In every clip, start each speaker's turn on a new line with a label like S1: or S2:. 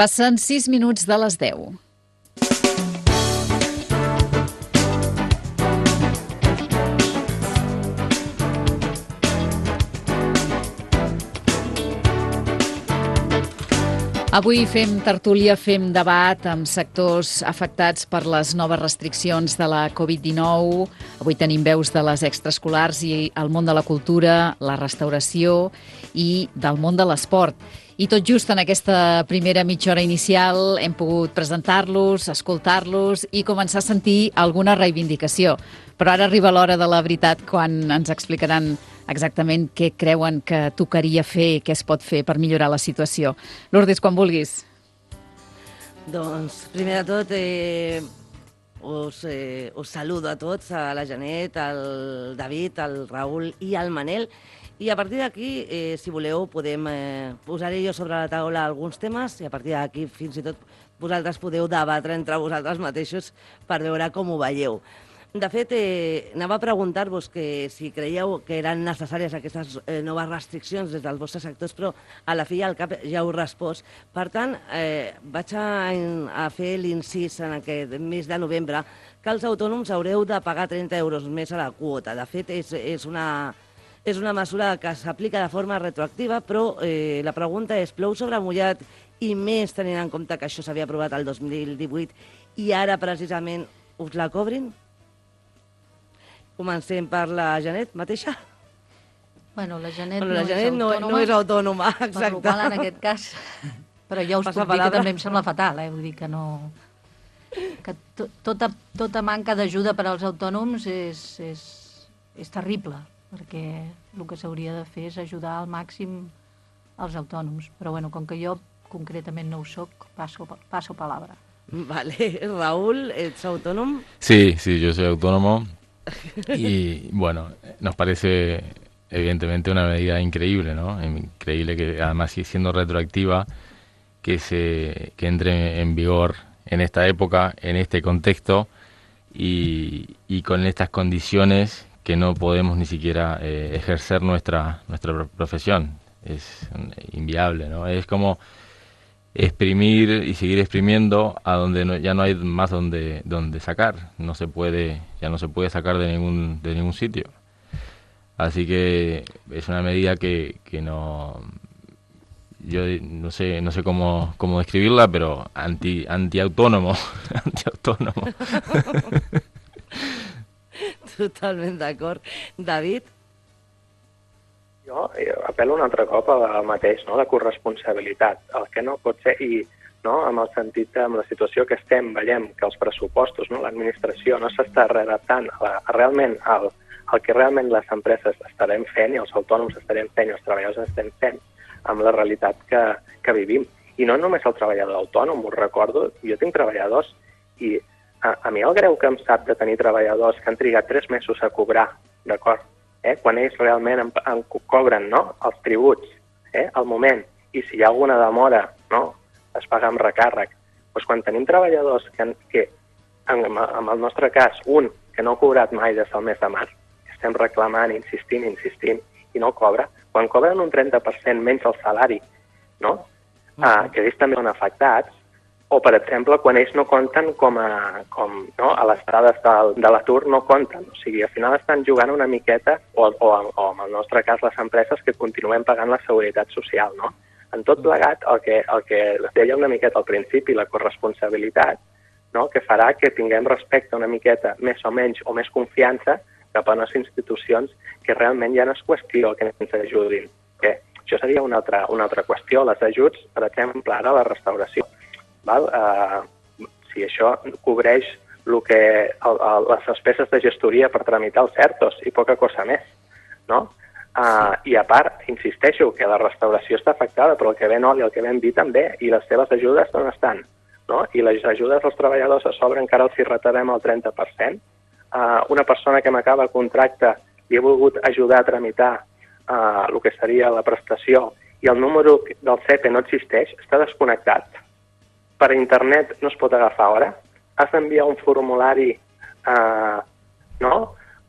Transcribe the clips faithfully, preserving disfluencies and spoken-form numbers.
S1: Passen sis minuts de les deu. Avui fem tertúlia, fem debat amb sectors afectats per les noves restriccions de la covid dinou. Avui tenim veus de les extraescolars i el món de la cultura, la restauració i del món de l'esport. I tot just en aquesta primera mitja hora inicial hem pogut presentar-los, escoltar-los i començar a sentir alguna reivindicació. Però ara arriba l'hora de la veritat, quan ens explicaran exactament què creuen que tocaria fer i què es pot fer per millorar la situació. Lourdes, quan vulguis.
S2: Doncs, primer de tot, eh, us, eh, us saludo a tots, a la Janet, al David, al Raül i al Manel. I a partir d'aquí, eh, si voleu, podem eh, posar-hi jo sobre la taula alguns temes i a partir d'aquí fins i tot vosaltres podeu debatre entre vosaltres mateixos per veure com ho veieu. De fet, eh, anava a preguntar-vos que si creieu que eren necessàries aquestes eh, noves restriccions des dels vostres sectors, però a la fi i al cap ja heu respost. Per tant, eh, vaig a, a fer l'incís en aquest mes de novembre que els autònoms haureu de pagar trenta euros més a la quota. De fet, és, és una... És una mesura que s'aplica de forma retroactiva, però eh, la pregunta és, plou sobre mullat i més tenint en compte que això s'havia aprovat el dos mil divuit i ara precisament us la cobrin? Comencem per la Janet mateixa?
S3: Bueno, la Janet,
S2: bueno, la
S3: no,
S2: Janet
S3: és
S2: no, no és autònoma, exacte.
S3: Per qual, en aquest cas, però ja us
S2: Passa
S3: puc dir
S2: palabra.
S3: que també em sembla fatal, eh? Vull dir que no... que to, tota, tota manca d'ajuda per als autònoms és, és, és terrible, perquè el que s'hauria de fer és ajudar al màxim els autònoms. Però bueno, com que jo concretament no ho soc, paso, paso palabra.
S2: Vale. Raúl, ¿eres autónomo?
S4: Sí, sí, yo soy autónomo y bueno, nos parece evidentemente una medida increíble, ¿no? Increíble que además siendo retroactiva, que, se, que entre en vigor en esta época, en este contexto y, y con estas condiciones que no podemos ni siquiera eh, ejercer nuestra nuestra profesión. Es inviable, ¿no? Es como exprimir y seguir exprimiendo a donde no, ya no hay más donde donde sacar. No se puede, ya no se puede sacar de ningún de ningún sitio. Así que es una medida que, que no yo no sé no sé cómo cómo describirla, pero anti antiautónomo, antiautónomo.
S2: Totalment d'acord. David?
S5: Jo apel·lo un altre cop al mateix, no? La corresponsabilitat. El que no pot ser, i no, amb el sentit, amb la situació que estem, veiem que els pressupostos, no, l'administració no s'està readaptant a, la, a realment al, al que realment les empreses estarem fent i els autònoms estarem fent i els treballadors estem fent amb la realitat que, que vivim. I no només el treballador autònom, us recordo, jo tinc treballadors i A, a mi el greu que em sap de tenir treballadors que han trigat tres mesos a cobrar, d'acord? Eh? Quan ells realment en, en cobren, no?, els tributs, eh? al moment, i si hi ha alguna demora, no?, es paga amb recàrrec. Doncs quan tenim treballadors que, que en, en el nostre cas, un que no ha cobrat mai des del mes de març, estem reclamant, insistint, insistint, i no cobra, quan cobren un trenta per cent menys el salari, no?, uh-huh. ah, que ells també són afectats, o, per exemple, quan ells no compten com a, com, no, a les dades de, de l'atur no compten. O sigui, al final estan jugant una miqueta, o, o, o en el nostre cas les empreses que continuem pagant la seguretat social, no? En tot plegat, el que, el que deia una miqueta al principi, la corresponsabilitat, no, que farà que tinguem respecte una miqueta més o menys o més confiança cap a unes institucions que realment ja no és qüestió que ens ajudin. Que això seria una altra, una altra qüestió. Les ajuts, per exemple, ara la restauració. Val? Uh, si això cobreix el que, el, el, les despeses de gestoria per tramitar els certos i poca cosa més, no? Uh, I a part, insisteixo, que la restauració està afectada, però el que ven oli i el que ven vi també, i les seves ajudes on estan? No? I les ajudes als treballadors a sobre encara els hi retarem el trenta per cent. Uh, una persona que m'acaba el contracte i he volgut ajudar a tramitar uh, el que seria la prestació i el número del C E P E no existeix, està desconnectat. Per internet no es pot agafar hora, has d'enviar un formulari, eh, no?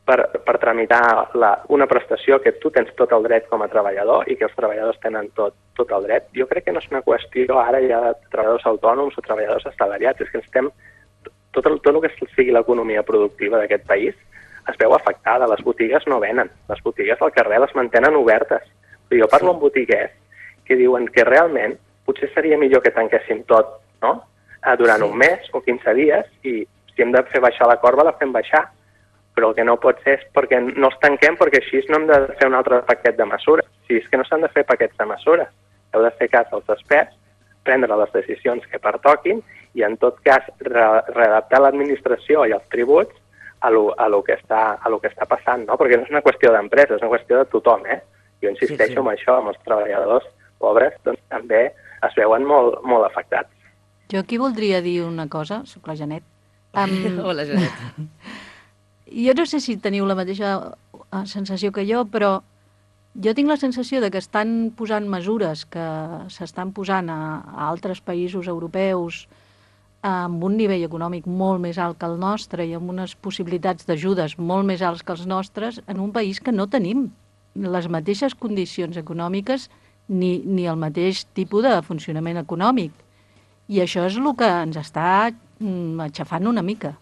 S5: per, per tramitar la, una prestació que tu tens tot el dret com a treballador i que els treballadors tenen tot, tot el dret. Jo crec que no és una qüestió ara ja de treballadors autònoms o treballadors assalariats, és que estem, tot el, tot el que sigui l'economia productiva d'aquest país es veu afectada. Les botigues no venen, les botigues al carrer les mantenen obertes. Jo parlo amb botiguers que diuen que realment potser seria millor que tanquéssim tot, no?, durant un mes o quinze dies, i si hem de fer baixar la corba la fem baixar. Però el que no pot ser és perquè no els tanquem, perquè així no hem de fer un altre paquet de mesures. Si és que no s'han de fer paquets de mesures, heu de fer cas als experts, prendre les decisions que pertoquin i, en tot cas, re readaptar l'administració i els tributs a lo, a lo que està, a lo que està passant, no? Perquè no és una qüestió d'empresa, és una qüestió de tothom, eh? Jo insisteixo sí, sí. en això, amb els treballadors pobres, doncs també es veuen molt, molt afectats.
S3: Jo aquí voldria dir una cosa, soc la Janet. Um...
S2: Hola, Janet.
S3: Jo no sé si teniu la mateixa sensació que jo, però jo tinc la sensació de que estan posant mesures que s'estan posant a, a altres països europeus amb un nivell econòmic molt més alt que el nostre i amb unes possibilitats d'ajudes molt més alts que els nostres en un país que no tenim les mateixes condicions econòmiques ni, ni el mateix tipus de funcionament econòmic. I això és el que ens està mm, aixafant una mica.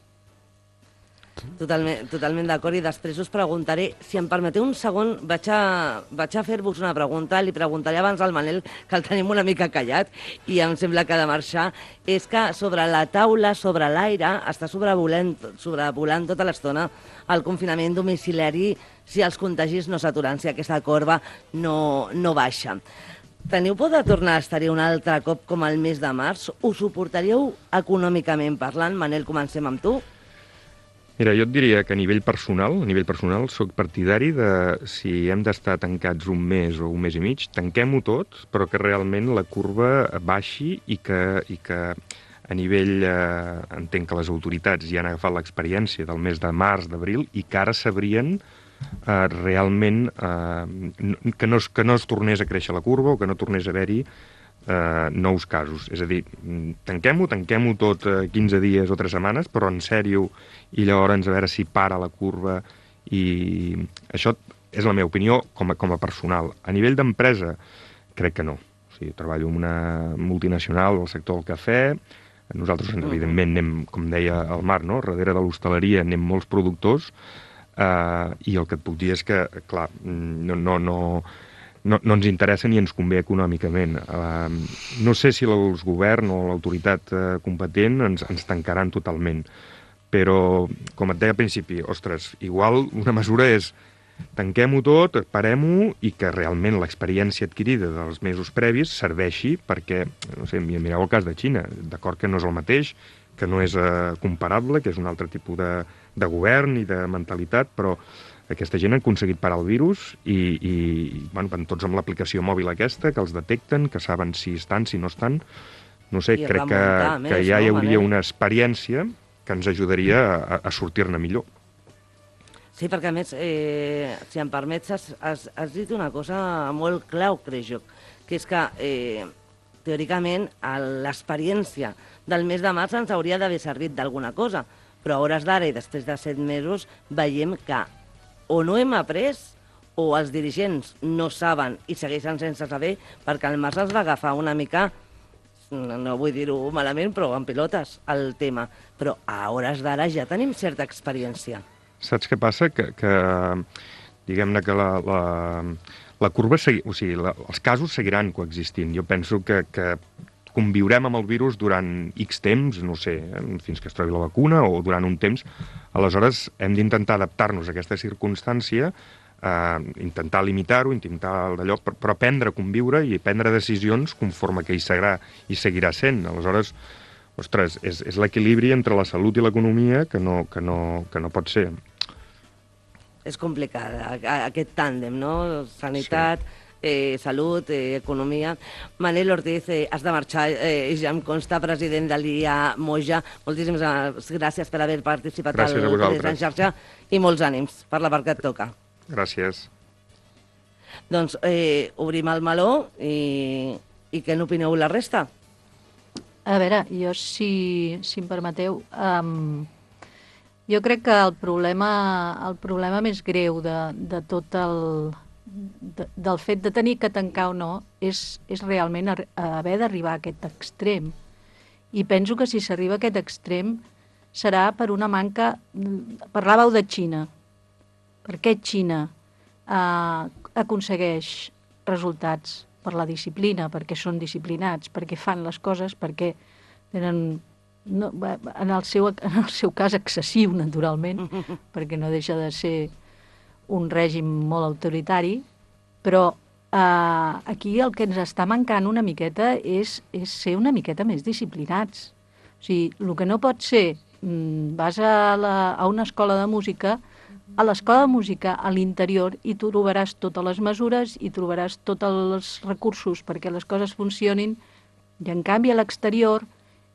S2: Totalment, totalment d'acord, i després us preguntaré, si em permeteu un segon, vaig a, vaig a fer-vos una pregunta, li preguntaré abans al Manel, que el tenim una mica callat, i em sembla que ha de marxar, és que sobre la taula, sobre l'aire, està sobrevolant, sobrevolant tota l'estona el confinament domiciliari si els contagis no s'aturen, si aquesta corba no, no baixa. Teniu por de tornar a estar-hi un altre cop com el mes de març? Ho suportaríeu econòmicament parlant? Manel, comencem amb tu.
S6: Mira, jo et diria que a nivell personal, a nivell personal, soc partidari de si hem d'estar tancats un mes o un mes i mig, tanquem-ho tot, però que realment la curva baixi i que, i que a nivell, eh, entenc que les autoritats ja han agafat l'experiència del mes de març, d'abril, i que ara sabrien eh, realment eh, que, no es, que no es tornés a créixer la curva o que no tornés a haver-hi Uh, nous casos. És a dir, tanquem-ho, tanquem-ho tot uh, quinze dies o tres setmanes, però en sèrio, i llavors a veure si para la curva, i això és la meva opinió com a, com a personal. A nivell d'empresa, crec que no. O sigui, treballo en una multinacional del sector del cafè, nosaltres, evidentment, anem, com deia el Marc, no? Darrere de l'hostaleria anem molts productors, uh, i el que et puc dir és que, clar, no... no, no No, no ens interessa ni ens convé econòmicament. Uh, no sé si el govern o l'autoritat uh, competent ens, ens tancaran totalment, però, com et deia al principi, ostres, igual una mesura és tanquem-ho tot, parem-ho, i que realment l'experiència adquirida dels mesos previs serveixi perquè, no sé, mireu el cas de Xina, d'acord que no és el mateix, que no és uh, comparable, que és un altre tipus de, de govern i de mentalitat, però aquesta gent ha aconseguit parar el virus i, i bueno, van tots amb l'aplicació mòbil aquesta, que els detecten, que saben si estan, si no estan. No sé, I crec que, que ja hi hauria una experiència que ens ajudaria a, a sortir-ne millor.
S2: Sí, perquè a més, eh, si em permets, has, has, has dit una cosa molt clau, crec jo, que és que, eh, teòricament, l'experiència del mes de març ens hauria d'haver servit d'alguna cosa, però a hores d'ara i després de set mesos veiem que o no hem après, o els dirigents no saben i segueixen sense saber, perquè el març es va agafar una mica, no vull dir-ho malament, però en pilotes, el tema. Però a hores d'ara ja tenim certa experiència.
S6: Saps què passa? Que, que diguem-ne que la, la, la curva, segui, o sigui, la, els casos seguiran coexistint. Jo penso que, que conviurem amb el virus durant X temps, no sé, fins que es trobi la vacuna o durant un temps. Aleshores, hem d'intentar adaptar-nos a aquesta circumstància, eh, intentar limitar-ho, intentar d'allò, però aprendre a conviure i prendre decisions conforme que hi seguirà, hi seguirà sent. Aleshores, ostres, és, és l'equilibri entre la salut i l'economia que no, que, no, que no pot ser.
S2: És complicat, aquest tàndem, no? Sanitat... Sí. Eh, salut, eh, economia. Manel Ortiz, eh, has de marxar, eh, ja em consta, president de l'I A Moja. Moltíssimes gràcies per haver participat
S6: gràcies
S2: al Tallers en xarxa i molts ànims per la part que et toca.
S6: Gràcies.
S2: Doncs eh, obrim el meló i, i què n'opineu la resta?
S3: A veure, jo, si, si em permeteu, um, Jo crec que el problema, el problema més greu de, de tot el... De, del fet de tenir que tancar o no és, és realment ar- haver d'arribar a aquest extrem. I penso que si s'arriba a aquest extrem serà per una manca... Parlàveu de Xina. Per què Xina eh, aconsegueix resultats? Per la disciplina, perquè són disciplinats, perquè fan les coses, perquè tenen... No, en, el seu, en el seu cas excessiu, naturalment, perquè no deixa de ser un règim molt autoritari, però eh, aquí el que ens està mancant una miqueta és, és ser una miqueta més disciplinats. O sigui, el que no pot ser, mm, vas a, la, a una escola de música, a l'escola de música, a l'interior, i tu trobaràs totes les mesures i trobaràs tots els recursos perquè les coses funcionin, i en canvi a l'exterior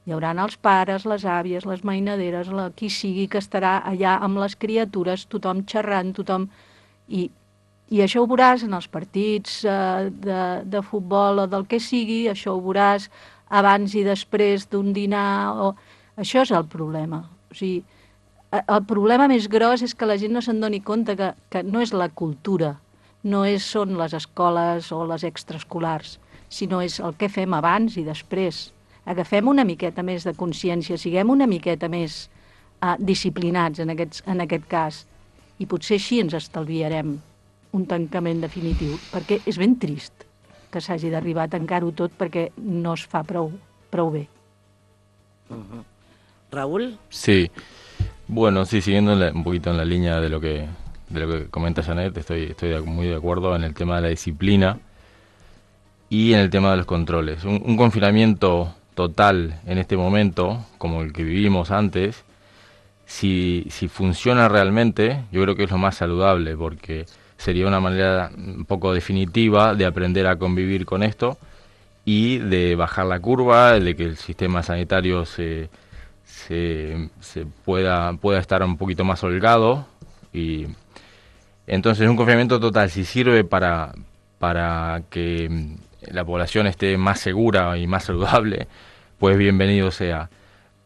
S3: hi haurà els pares, les àvies, les mainaderes, la, qui sigui que estarà allà amb les criatures, tothom xerrant, tothom... I, i això ho veuràs en els partits eh, de, de futbol o del que sigui, això ho veuràs abans i després d'un dinar... O... Això és el problema. O sigui, el problema més gros és que la gent no se'n doni compte que, que no és la cultura, no és, són les escoles o les extraescolars, sinó és el que fem abans i després. Agafem una miqueta més de consciència, siguem una miqueta més uh, disciplinats en, aquests, en aquest cas, i potser així ens estalviarem un tancament definitiu, perquè és ben trist que s'hagi d'arribar a tancar-ho tot perquè no es fa prou, prou bé.
S2: Uh-huh. Raúl?
S4: Sí, bueno, sí, siguiendo en la, un poquito en la línea de lo que, de lo que comenta Janet, estoy, estoy de, muy de acuerdo en el tema de la disciplina y en el tema de los controles. Un, un confinamiento total en este momento, como el que vivimos antes, si, si funciona realmente, yo creo que es lo más saludable, porque sería una manera un poco definitiva de aprender a convivir con esto y de bajar la curva, de que el sistema sanitario se, se, se pueda, pueda estar un poquito más holgado. Y entonces un confinamiento total, si sirve para, para que la población esté más segura y más saludable, pues bienvenido sea.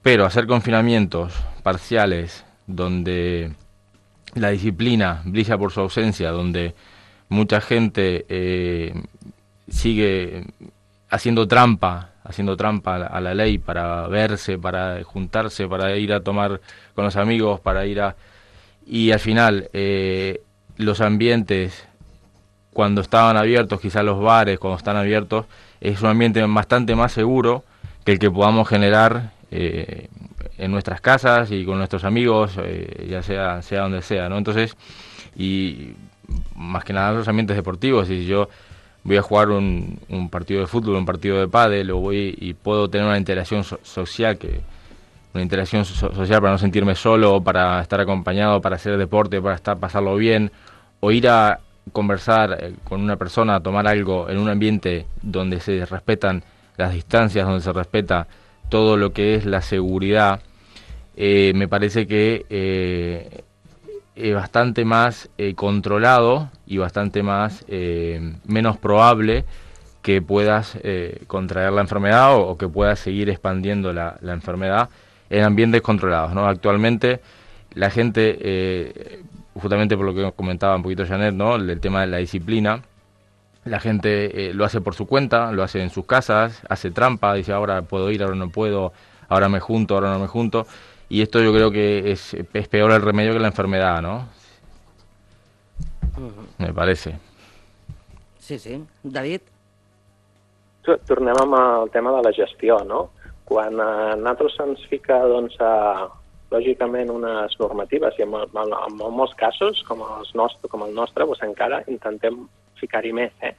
S4: Pero hacer confinamientos parciales donde la disciplina brilla por su ausencia, donde mucha gente eh, sigue haciendo trampa, haciendo trampa a la, a la ley para verse, para juntarse, para ir a tomar con los amigos, para ir a... Y al final, eh, los ambientes, cuando estaban abiertos, quizás los bares, cuando están abiertos, es un ambiente bastante más seguro que el que podamos generar eh, en nuestras casas y con nuestros amigos, eh, ya sea sea donde sea, ¿no? Entonces, y más que nada los ambientes deportivos, si yo voy a jugar un, un partido de fútbol, un partido de pádel, o voy y puedo tener una interacción so- social, que una interacción so- social para no sentirme solo, para estar acompañado, para hacer deporte, para estar pasarlo bien, o ir a conversar eh, con una persona, a tomar algo en un ambiente donde se respetan las distancias, donde se respeta todo lo que es la seguridad, eh, me parece que eh, es bastante más eh, controlado y bastante más eh, menos probable que puedas eh, contraer la enfermedad o, o que puedas seguir expandiendo la, la enfermedad en ambientes controlados, ¿no? Actualmente la gente, eh, justamente por lo que comentaba un poquito Janet, ¿no? El tema de la disciplina, la gente eh, lo hace por su cuenta, lo hace en sus casas, hace trampa, dice ahora puedo ir, ahora no puedo, ahora me junto, ahora no me junto. Y esto yo creo que es, es peor el remedio que la enfermedad, ¿no? Uh-huh. Me parece.
S2: Sí, sí. David?
S5: Tornem amb el tema de la gestió, no? Quan a nosaltres se'ns fica, doncs, a, lògicament, unes normatives, i en, en, en molts casos, com, els nostre, com el nostre, doncs encara intentem ficar-hi més, eh?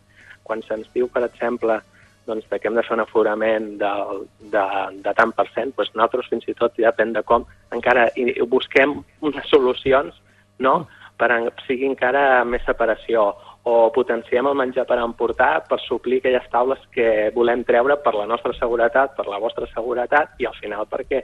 S5: Quan se'ns diu, per exemple, doncs, que hem de fer un aforament de, de, de tant per cent, doncs nosaltres fins i tot, depèn de com, encara i busquem unes solucions, no?, per a sigui encara més separació, o potenciem el menjar per emportar per suplir aquelles taules que volem treure per la nostra seguretat, per la vostra seguretat, i al final perquè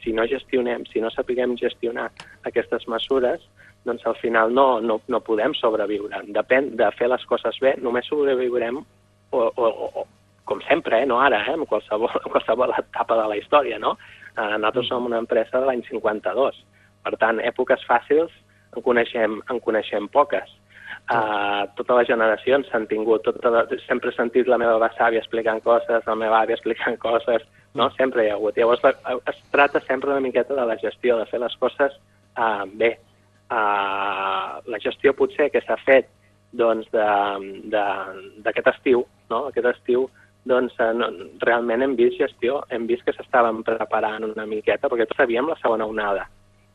S5: si no gestionem, si no sapiguem gestionar aquestes mesures, doncs al final no, no, no podem sobreviure. Depèn de fer les coses bé, només sobreviurem o, o, o com sempre, eh? No ara, eh? En qualsevol, en qualsevol etapa de la història, no? Eh, nosaltres som una empresa de l'any cinquanta-dos. Per tant, èpoques fàcils en coneixem, en coneixem poques. Uh, totes les generacions s'han tingut, tota la, sempre he sentit la meva besàvia explicant coses, la meva àvia explicant coses, no? Sempre hi ha hagut. Llavors es tracta sempre una miqueta de la gestió, de fer les coses uh, bé. Uh, la gestió potser que s'ha fet doncs, d'aquest estiu, no? Aquest estiu, doncs uh, no, realment hem vist gestió, hem vist que s'estaven preparant una miqueta, perquè tots sabíem la segona onada.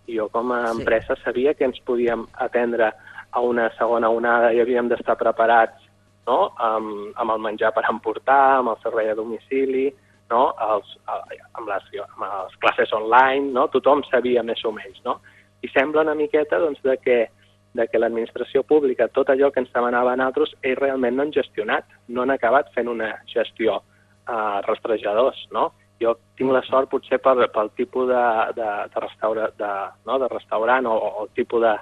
S5: Jo com a empresa sí. sabia que ens podíem atendre a una segona onada i havíem d'estar preparats, no? amb, amb el menjar per emportar, amb el servei a domicili, no? Els, amb, les, amb les classes online, no? Tothom sabia més o menys. No? I sembla una miqueta doncs, de que, de que l'administració pública, tot allò que ens demanava a nosaltres, ells realment no han gestionat, no han acabat fent una gestió a uh, rastrejadors. No? Jo tinc la sort potser pel, pel tipus de, de, de, restaura, de, no? de restaurant o, o el tipus de,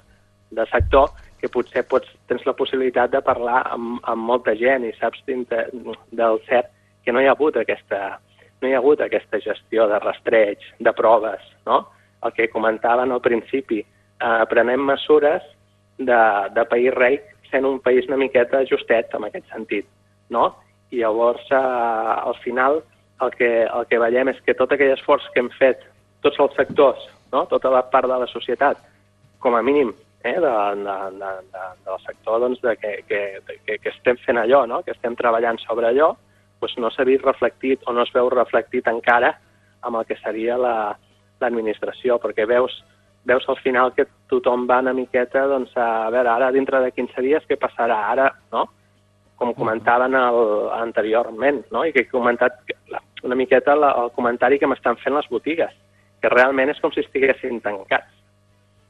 S5: de sector que potser pots, tens la possibilitat de parlar amb, amb molta gent i saps del cert que no hi ha hagut aquesta, no hi ha hagut aquesta gestió de rastreig, de proves, no? El que comentaven al principi, eh, prenem mesures de, de país rei sent un país una miqueta justet en aquest sentit, no? I llavors, eh, al final, el que, el que veiem és que tot aquell esforç que hem fet, tots els sectors, no? Tota la part de la societat, com a mínim, Eh, de, de, de, de, del sector doncs, de que, que, que, que estem fent allò, no? Que estem treballant sobre allò, doncs no s'ha vist reflectit o no es veu reflectit encara amb el que seria l'administració, la, perquè veus, veus al final que tothom va una miqueta doncs, a veure, ara dintre de quinze dies què passarà ara, no? Com comentaven el, anteriorment, no? I que he comentat una miqueta el, el comentari que m'estan fent les botigues, que realment és com si estiguessin tancats,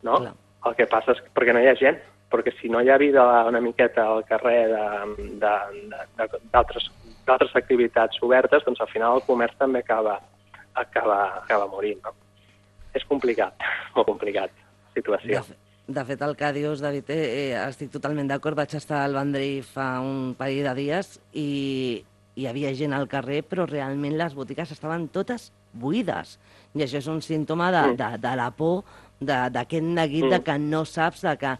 S5: no? Clar. El que passa és que perquè no hi ha gent, perquè si no hi ha vida una miqueta al carrer d'altres activitats obertes, doncs al final el comerç també acaba, acaba, acaba morint. No? És complicat, molt complicat, la situació.
S2: De, de fet, el que dius, David, eh, estic totalment d'acord. Vaig estar al Vendrell fa un parell de dies i hi havia gent al carrer, però realment les botigues estaven totes buides. I això és un símptoma de, de, de la por, d'aquest neguit mm. de que no saps, de que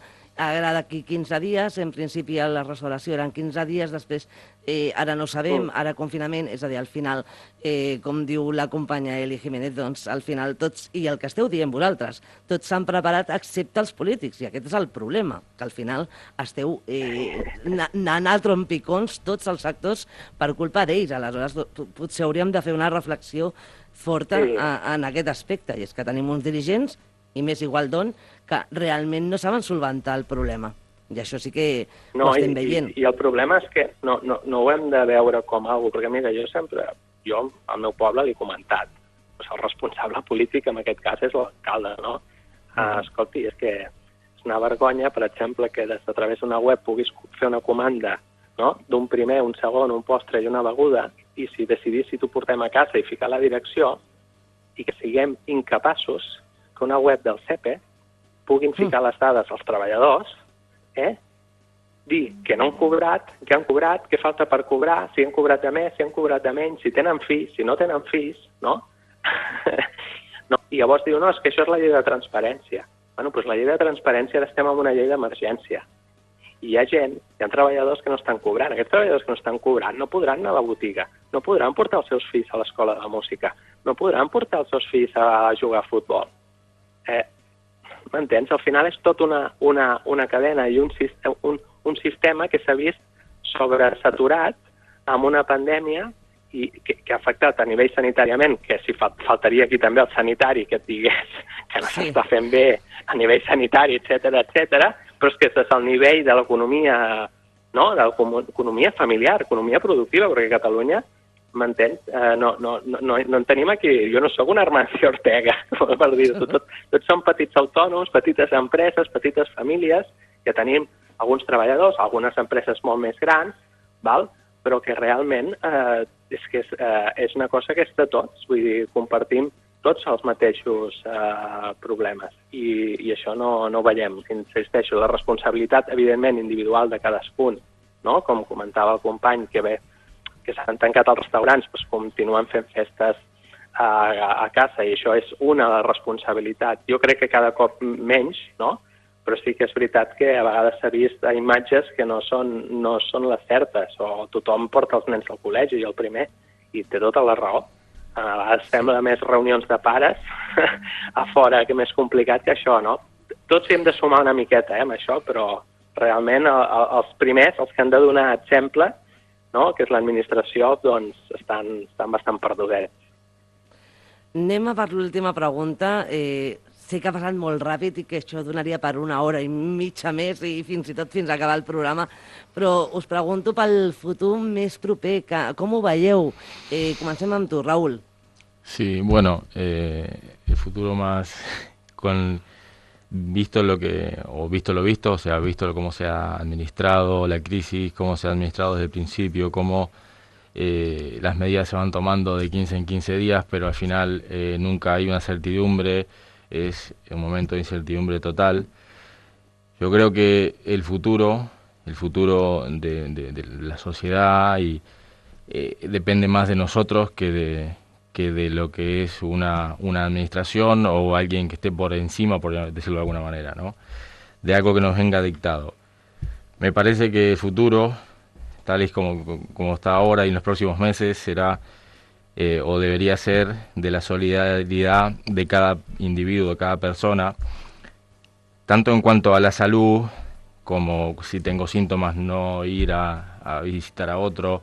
S2: ara d'aquí quinze dies, en principi la restauració eren quinze dies, després eh, ara no sabem, mm. ara confinament, és a dir, al final, eh, com diu la companya Eli Jiménez, doncs al final tots, i el que esteu dient vosaltres, tots s'han preparat excepte els polítics, i aquest és el problema, que al final esteu eh, anant a trompicons tots els sectors per culpa d'ells. Aleshores, potser hauríem de fer una reflexió forta sí. a, en aquest aspecte, i és que tenim uns dirigents i més igual d'on, que realment no saben solventar el problema. I això sí que no, ho estem
S5: i,
S2: veient.
S5: I, I el problema és que no, no, no ho hem de veure com a alguna cosa, perquè mira, jo sempre, jo al meu poble l'he comentat, pues el responsable polític en aquest cas és l'alcalde, no? Uh, uh, escolti, és que és una vergonya, per exemple, que des de través d'una web puguis fer una comanda, no? D'un primer, un segon, un postre i una beguda, i si decidís si t'ho portem a casa i ficar la direcció, i que siguem incapaços que una web del C E P E puguin ficar les dades als treballadors, eh? dir que no han cobrat, que han cobrat, què falta per cobrar, si han cobrat de més, si han cobrat de menys, si tenen fills, si no tenen fills, no? no? I llavors diu, no, és que això és la llei de transparència. Bueno, doncs la llei de transparència ara estem en una llei d'emergència. I hi ha gent, hi ha treballadors que no estan cobrant. Aquests treballadors que no estan cobrant no podran anar a la botiga, no podran portar els seus fills a l'escola de música, no podran portar els seus fills a jugar a futbol. Eh, M'entens? Al final és tot una, una, una cadena i un, un, un sistema que s'ha vist sobresaturat amb una pandèmia i que, que ha afectat a nivell sanitàriament, que si fa, faltaria aquí també el sanitari que et digués que no s'està sí. fent bé a nivell sanitari, etcètera, etcètera, però és que és el nivell de l'economia, no? de l'economia familiar, economia productiva, perquè a Catalunya, m'entens? Uh, no, no, no, no en tenim aquí, jo no sóc un Armancio Ortega, per dir-ho, tot, tots són petits autònoms, petites empreses, petites famílies, que tenim alguns treballadors, algunes empreses molt més grans, val? Però que realment eh, és, que és, eh, és una cosa que és de tots, vull dir, compartim tots els mateixos eh, problemes i, i això no, no ho veiem. Insisteixo, la responsabilitat, evidentment, individual de cadascun, no? Com comentava el company, que bé, que s'han tancat els restaurants, doncs continuen fent festes a, a casa, i això és una de les responsabilitats. Jo crec que cada cop menys, no? Però sí que és veritat que a vegades s'ha vist imatges que no són, no són les certes, o tothom porta els nens al col·legi, i el primer, i té tota la raó. A vegades sembla més reunions de pares a fora, que més complicat que això, no? Tots hem de sumar una miqueta eh, amb això, però realment el, el, els primers, els que han de donar exemple, no? Que és l'administració, doncs estan, estan bastant perdudets.
S2: Anem a per l'última pregunta. Eh, sé que ha passat molt ràpid i que això donaria per una hora i mitja més i fins i tot fins a acabar el programa, però us pregunto pel futur més proper, que, com ho veieu? Eh, comencem amb tu, Raúl.
S4: Sí, bueno, eh, el futuro más con visto lo que, o visto lo visto, o sea, visto cómo se ha administrado la crisis, cómo se ha administrado desde el principio, cómo Eh, las medidas se van tomando de quince en quince días, pero al final eh, nunca hay una certidumbre, es un momento de incertidumbre total. Yo creo que el futuro, el futuro de, de, de la sociedad y, eh, depende más de nosotros que de, que de lo que es una, una administración o alguien que esté por encima, por decirlo de alguna manera, ¿no? De algo que nos venga dictado. Me parece que el futuro, tal y como, como está ahora y en los próximos meses, será eh, o debería ser de la solidaridad de cada individuo, de cada persona, tanto en cuanto a la salud, como si tengo síntomas no ir a, a visitar a otro,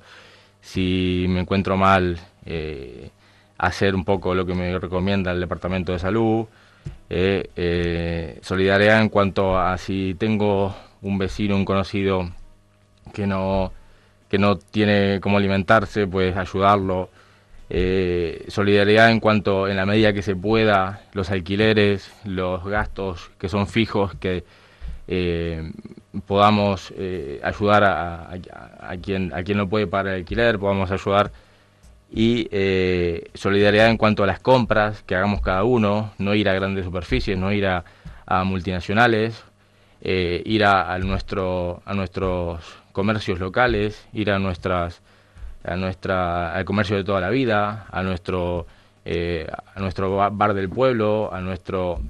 S4: si me encuentro mal, eh, hacer un poco lo que me recomienda el Departamento de Salud, eh, eh, solidaridad en cuanto a si tengo un vecino, un conocido que no que no tiene cómo alimentarse, pues ayudarlo. Eh, solidaridad en cuanto, en la medida que se pueda, los alquileres, los gastos que son fijos, que eh, podamos eh, ayudar a, a, a, quien, a quien no puede pagar el alquiler, podamos ayudar. Y eh, solidaridad en cuanto a las compras que hagamos cada uno, no ir a grandes superficies, no ir a, a multinacionales, eh, ir a, a, nuestro, a nuestros comercios locales, ir a nuestras a nuestra al comercio de toda la vida, a nuestro eh, a nuestro bar del pueblo, a nuestro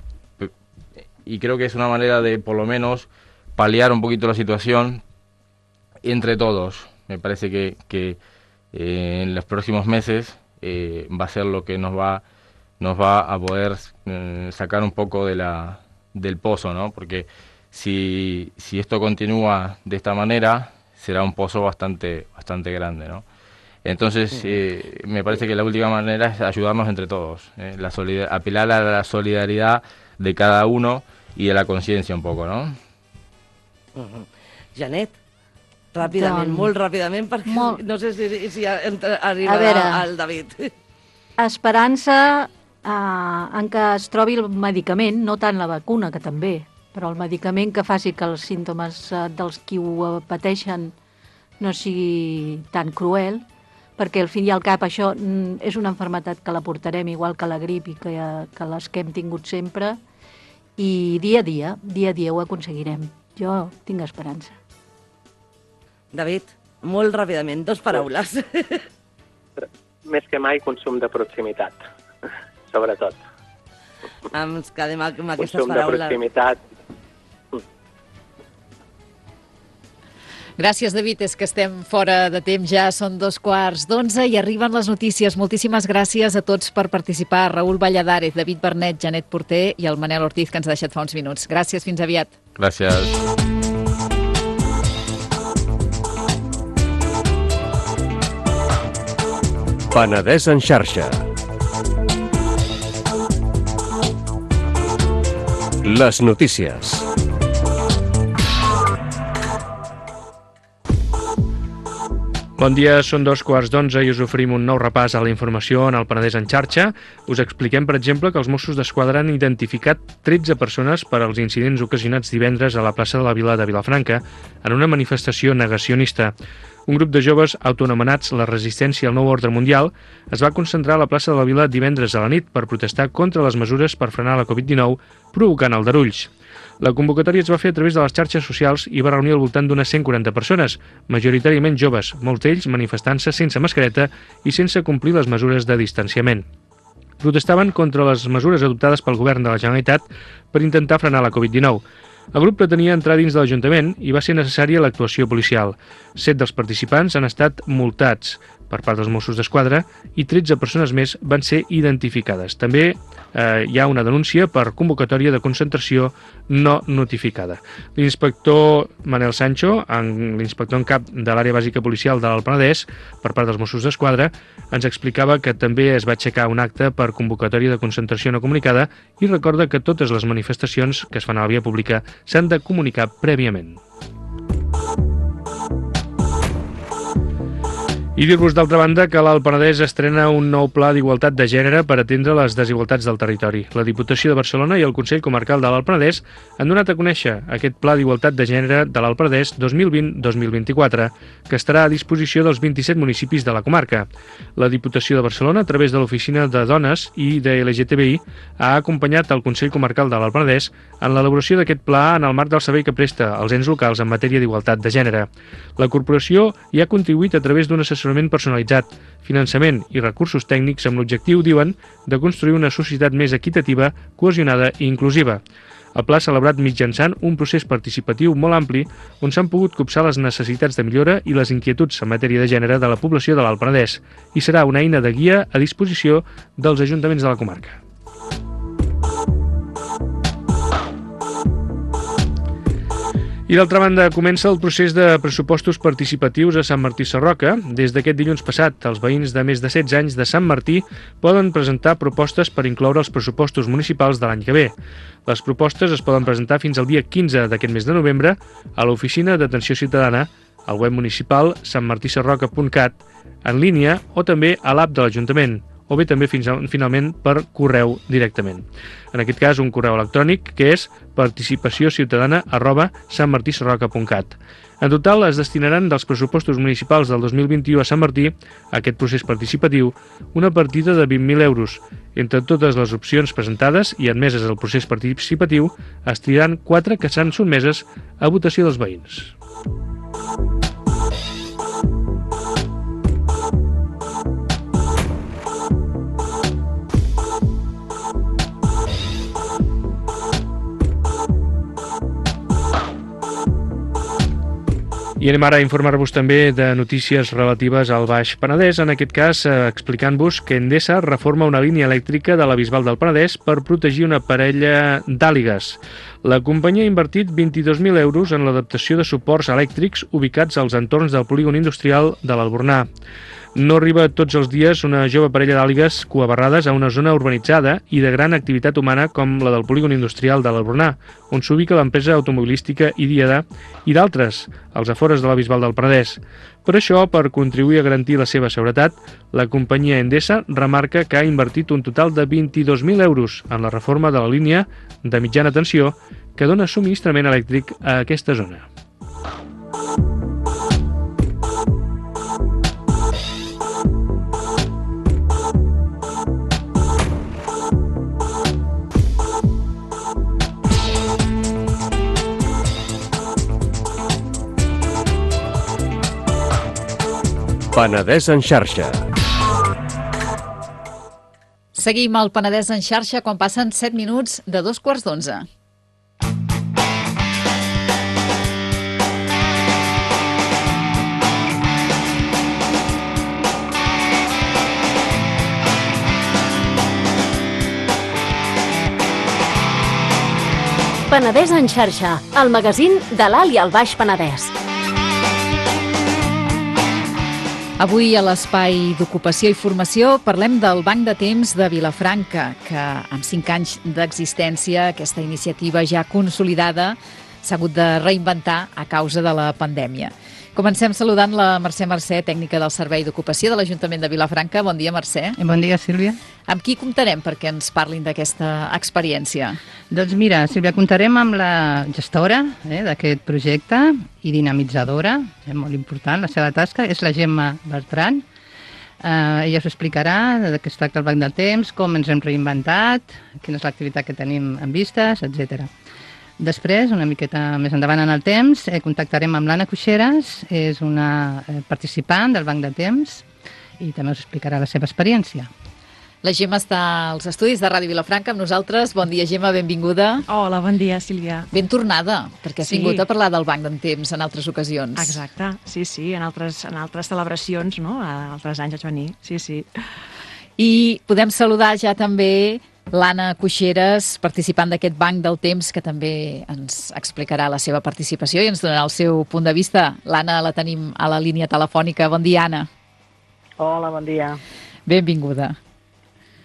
S4: y creo que es una manera de por lo menos paliar un poquito la situación entre todos. Me parece que, que eh, en los próximos meses eh, va a ser lo que nos va nos va a poder eh, sacar un poco de la del pozo, ¿no? Porque si si esto continúa de esta manera será un pozo bastante bastante grande, ¿no? Entonces, eh, me parece que la última manera es ayudarnos entre todos, eh, la solidar- apelar a la solidaridad de cada uno y a la conciencia un poco, ¿no?
S2: Uh-huh. Janet, ràpidament,
S3: Doncs,
S2: molt ràpidament, perquè
S3: molt.
S2: no sé si, si entra- arribarà
S3: A veure.
S2: el David.
S3: Esperança eh, en que es trobi el medicament, no tant la vacuna, que també, però el medicament que faci que els símptomes eh, dels qui ho pateixen no sigui tan cruel, perquè al fin i al cap això mm, és una malaltia que la portarem igual que la grip i que, que les que hem tingut sempre, i dia a dia, dia a dia ho aconseguirem. Jo tinc esperança.
S2: David, molt ràpidament, dos paraules.
S5: Més que mai, consum de proximitat, sobretot.
S2: Ens quedem amb aquestes
S5: Consum de
S2: paraules.
S5: proximitat.
S1: Gràcies, David. És que estem fora de temps ja, són dos quarts d'onze i arriben les notícies. Moltíssimes gràcies a tots per participar. Raúl Valladares, David Bernet, Janet Porter i el Manel Ortiz, que ens ha deixat fa uns minuts. Gràcies, fins aviat.
S4: Gracias.
S7: Penedès en xarxa. Les notícies.
S8: Bon dia, són dos quarts d'onze i us oferim un nou repàs a la informació en el Penedès en xarxa. Us expliquem, per exemple, que els Mossos d'Esquadra han identificat tretze persones per als incidents ocasionats divendres a la plaça de la Vila de Vilafranca en una manifestació negacionista. Un grup de joves autoanomenats la Resistència al Nou Ordre Mundial es va concentrar a la plaça de la Vila divendres a la nit per protestar contra les mesures per frenar la covid dinou, provocant aldarulls. La convocatòria es va fer a través de les xarxes socials i va reunir al voltant d'unes cent quaranta persones, majoritàriament joves, molts d'ells manifestant-se sense mascareta i sense complir les mesures de distanciament. protestaven contra les mesures adoptades pel govern de la Generalitat per intentar frenar la covid dinou. El grup pretenia entrar dins de l'Ajuntament i va ser necessària l'actuació policial. Set dels participants han estat multats per part dels Mossos d'Esquadra i tretze persones més van ser identificades. També eh, hi ha una denúncia per convocatòria de concentració no notificada. L'inspector Manel Sancho, en, l'inspector en cap de l'àrea bàsica policial de l'Alt Penedès, per part dels Mossos d'Esquadra, ens explicava que també es va aixecar un acte per convocatòria de concentració no comunicada i recorda que totes les manifestacions que es fan a la via pública s'han de comunicar prèviament. I dir-vos, d'altra banda, que l'Alt Penedès estrena un nou pla d'igualtat de gènere per atendre les desigualtats del territori. La Diputació de Barcelona i el Consell Comarcal de l'Alt Penedès han donat a conèixer aquest pla d'igualtat de gènere de l'Alt Penedès dos mil vint dos mil vint-i-quatre, que estarà a disposició dels vint-i-set municipis de la comarca. La Diputació de Barcelona, a través de l'Oficina de Dones i de L G T B I, ha acompanyat el Consell Comarcal de l'Alt Penedès en l'elaboració d'aquest pla en el marc del servei que presta als ens locals en matèria d'igualtat de gènere. La corporació hi ha contribuït a través d'un assessorament personalitzat, finançament i recursos tècnics amb l'objectiu, diuen, de construir una societat més equitativa, cohesionada i inclusiva. El pla s'ha elaborat mitjançant un procés participatiu molt ampli on s'han pogut copsar les necessitats de millora i les inquietuds en matèria de gènere de la població de l'Alt Penedès i serà una eina de guia a disposició dels ajuntaments de la comarca. I d'altra banda, comença el procés de pressupostos participatius a Sant Martí Sarroca. Des d'aquest dilluns passat, els veïns de més de setze anys de Sant Martí poden presentar propostes per incloure els pressupostos municipals de l'any que ve. Les propostes es poden presentar fins al dia quinze d'aquest mes de novembre a l'Oficina d'Atenció Ciutadana, al web municipal sant martí sarroca punt cat, en línia o també a l'app de l'Ajuntament, o bé també fins a, finalment per correu directament. En aquest cas, un correu electrònic que és participaciociutadana arroba sant martí sarroca punt cat. En total, es destinaran dels pressupostos municipals del dos mil vint-i-u a Sant Martí, a aquest procés participatiu, una partida de vint mil euros. Entre totes les opcions presentades i admeses al procés participatiu, es triaran quatre que seran sotmeses a votació dels veïns. I anem ara a informar-vos també de notícies relatives al Baix Penedès, en aquest cas eh, explicant-vos que Endesa reforma una línia elèctrica de la Bisbal del Penedès per protegir una parella d'àligues. La companyia ha invertit vint-i-dos mil euros en l'adaptació de suports elèctrics ubicats als entorns del polígon industrial de l'Albornà. No arriba tots els dies una jove parella d'àligues coabarrades a una zona urbanitzada i de gran activitat humana com la del polígon industrial de l'Albornà, on s'ubica l'empresa automobilística Idiada i d'altres, als afores de la Bisbal del Penedès. Per això, per contribuir a garantir la seva seguretat, la companyia Endesa remarca que ha invertit un total de vint-i-dos mil euros en la reforma de la línia de mitjana tensió que dona subministrament elèctric a aquesta zona.
S7: Penedès en xarxa.
S1: Seguim al Penedès en xarxa quan passen set minuts de dos quarts d'onze.
S9: Penedès en xarxa, el magazín de l'Alt i el Baix Penedès.
S1: Avui a l'Espai d'Ocupació i Formació parlem del Banc de Temps de Vilafranca, que amb cinc anys d'existència, aquesta iniciativa ja consolidada, s'ha hagut de reinventar a causa de la pandèmia. Comencem saludant la Mercè Mercè, tècnica del Servei d'Ocupació de l'Ajuntament de Vilafranca. Bon dia, Mercè.
S10: Bon dia, Sílvia.
S1: Amb qui comptarem perquè ens parlin d'aquesta experiència?
S10: Doncs mira, Sílvia, comptarem amb la gestora eh, d'aquest projecte i dinamitzadora, és molt important la seva tasca, és la Gemma Bertran. Eh, ella us explicarà de què es tracta el Banc del Temps, com ens hem reinventat, quina és l'activitat que tenim en vistes, etcètera. Després, una miqueta més endavant en el temps, eh, contactarem amb l'Anna Cuixeras, és una eh, participant del Banc de Temps i també us explicarà la seva experiència.
S1: La Gemma està als estudis de Ràdio Vilafranca amb nosaltres. Bon dia, Gemma, benvinguda.
S11: Hola, bon dia, Sílvia.
S1: Ben tornada, perquè has
S11: Sí.
S1: vingut a parlar del Banc d'en Temps en altres ocasions.
S11: Exacte, sí, sí, en altres, en altres celebracions, no? A altres anys vaig venir, sí, sí.
S1: I podem saludar ja també l'Anna Cuixeres, participant d'aquest Banc del Temps, que també ens explicarà la seva participació i ens donarà el seu punt de vista. L'Anna la tenim a la línia telefònica. Bon dia, Anna.
S12: Hola, bon dia.
S1: Benvinguda.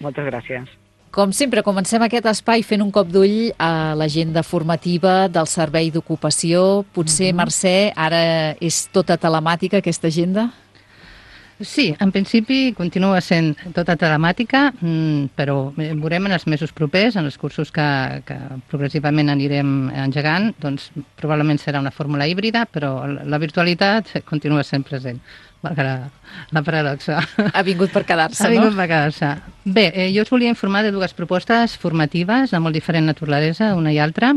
S12: Moltes gràcies.
S1: Com sempre, comencem aquest espai fent un cop d'ull a l'agenda formativa del Servei d'Ocupació. Potser,
S10: Mhm.
S1: Mercè, ara és tota telemàtica aquesta agenda?
S10: Sí, en principi continua sent tota telemàtica, mm, però veurem en els mesos propers, en els cursos que, que progressivament anirem engegant, doncs probablement serà una fórmula híbrida, però la la virtualitat continua sent present, valgui la, la paradoxa.
S1: Ha vingut per quedar-se,
S10: Ha vingut
S1: no?
S10: per quedar-se. Bé, eh, jo us volia informar de dues propostes formatives de molt diferent naturalesa, una i altra.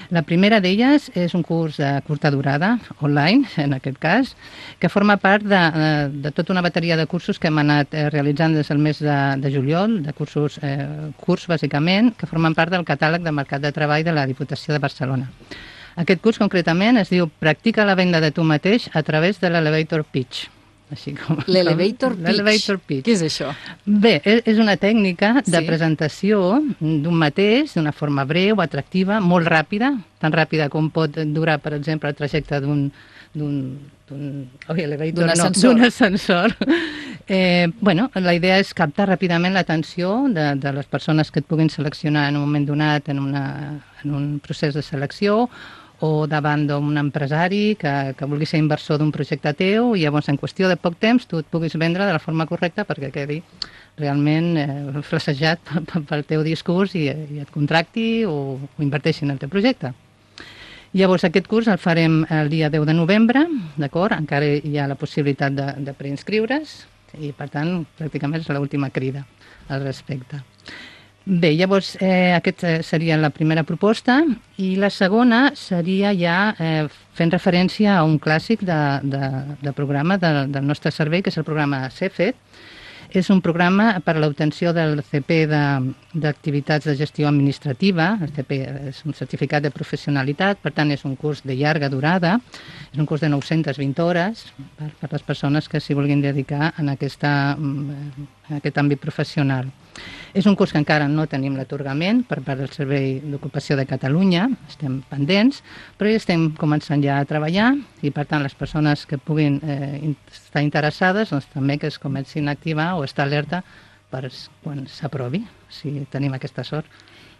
S10: La primera d'elles és un curs de curta durada, online, en aquest cas, que forma part de, de, de tota una bateria de cursos que hem anat eh, realitzant des del mes de, de juliol, de cursos eh, curts, bàsicament, que formen part del catàleg de mercat de treball de la Diputació de Barcelona. Aquest curs, concretament, es diu Practica la venda de tu mateix a través de l'Elevator Pitch. Així com...
S1: L'Elevator Pitch.
S10: L'Elevator Pitch.
S1: Què és això?
S10: Bé, és és una tècnica de
S1: Sí.
S10: presentació d'un mateix, d'una forma breu, atractiva, molt ràpida, tan ràpida com pot durar, per exemple, el trajecte d'un d'un d'un oi, elevator,
S1: D'un
S10: no,
S1: ascensor.
S10: d'un ascensor. Eh, bueno, la idea és captar ràpidament l'atenció de, de les persones que et puguin seleccionar en un moment donat en, una, en un procés de selecció, o davant d'un empresari que, que vulgui ser inversor d'un projecte teu i llavors en qüestió de poc temps tu et puguis vendre de la forma correcta perquè quedi realment eh, flacejat pel teu discurs i, i et contracti o, o inverteixi en el teu projecte. Llavors aquest curs el farem el dia deu de novembre, d'acord? Encara hi ha la possibilitat de, de preinscriure's i per tant pràcticament és l'última crida al respecte. Bé, llavors eh, aquesta seria la primera proposta i la segona seria ja eh, fent referència a un clàssic de, de, de programa de, del nostre servei, que és el programa CEFET. És un programa per a l'obtenció del C P de- d'activitats de, de gestió administrativa. El C P és un certificat de professionalitat, per tant és un curs de llarga durada, és un curs de nou-centes vint hores per, per les persones que s'hi vulguin dedicar en, aquesta, en aquest àmbit professional. És un curs que encara no tenim l'atorgament per part del Servei d'Ocupació de Catalunya, estem pendents, però ja estem començant ja a treballar i per tant les persones que puguin eh, in- estar interessades doncs, també que es comencin a activar o estar alerta per s- quan s'aprovi, si tenim aquesta sort.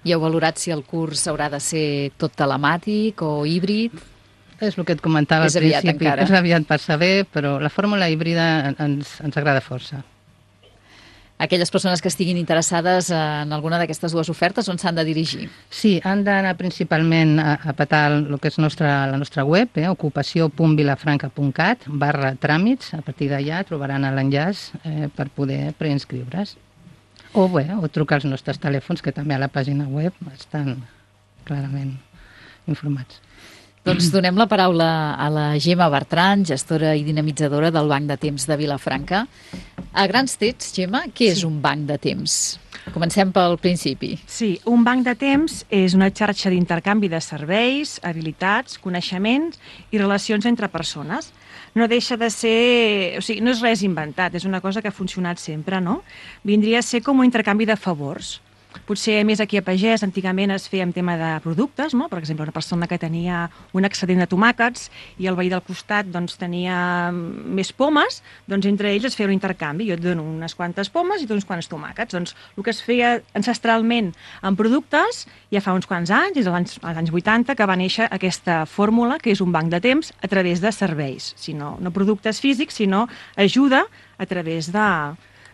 S1: I heu valorat si el curs haurà de ser tot telemàtic o híbrid?
S10: És el que et comentava
S1: És
S10: al
S1: aviat
S10: principi,
S1: encara.
S10: és aviat per saber, però la fórmula híbrida ens, ens agrada força.
S1: Aquelles persones que estiguin interessades en alguna d'aquestes dues ofertes, on s'han de dirigir?
S10: Sí, han d'anar principalment a, a petar el que és nostra, la nostra web, eh, ocupació punt vilafranca punt cat barra tràmits. A partir d'allà trobaran l'enllaç eh, per poder preinscriure's. O, bé, o trucar als nostres telèfons, que també a la pàgina web estan clarament informats.
S1: Doncs donem la paraula a la Gemma Bertran, gestora i dinamitzadora del Banc de Temps de Vilafranca. A grans trets, Gemma, què és un banc de temps? Comencem pel principi.
S11: Sí, un banc de temps és una xarxa d'intercanvi de serveis, habilitats, coneixements i relacions entre persones. No deixa de ser... O sigui, no és res inventat, és una cosa que ha funcionat sempre, no? Vindria a ser com un intercanvi de favors. Potser més aquí a Pagès antigament es feia en tema de productes, no? Per exemple, una persona que tenia un excedent de tomàquets i el veí del costat doncs, tenia més pomes, doncs entre ells es feia un intercanvi. Jo et dono unes quantes pomes i tu uns quants tomàquets. Doncs el que es feia ancestralment en productes ja fa uns quants anys, des dels anys, als anys vuitanta, que va néixer aquesta fórmula que és un banc de temps a través de serveis. Si no, no productes físics, sinó ajuda a través de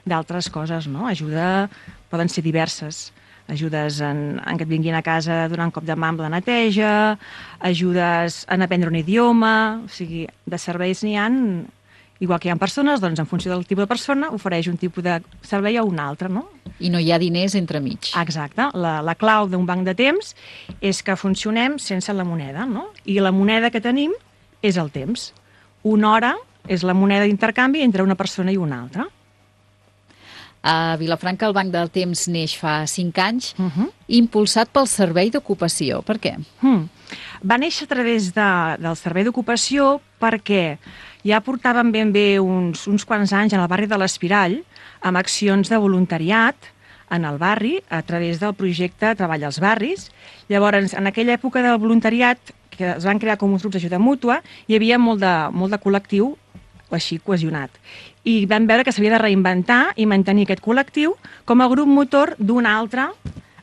S11: d'altres coses, no? Ajuda poden ser diverses. Ajudes en, en que et vinguin a casa a donar un cop de mà amb la neteja, ajudes en aprendre un idioma, o sigui, de serveis n'hi ha, igual que hi ha persones, doncs en funció del tipus de persona ofereix un tipus de servei a un altre, no?
S1: I no hi ha diners entremig.
S11: Exacte. La, la clau d'un banc de temps és que funcionem sense la moneda, no? I la moneda que tenim és el temps. Una hora és la moneda d'intercanvi entre una persona i una altra.
S1: A Vilafranca el Banc del Temps neix fa cinc anys,
S11: Uh -huh.
S1: impulsat pel Servei d'Ocupació. Per què?
S11: Hmm. Va néixer a través de, del Servei d'Ocupació perquè ja portàvem ben bé uns, uns quants anys en el barri de l'Espirall amb accions de voluntariat en el barri a través del projecte Treball als Barris. Llavors, en aquella època del voluntariat, que es van crear com uns grups d'ajuda mútua, hi havia molt de, molt de col·lectiu així cohesionat. I vam veure que s'havia de reinventar i mantenir aquest col·lectiu com a grup motor d'una altra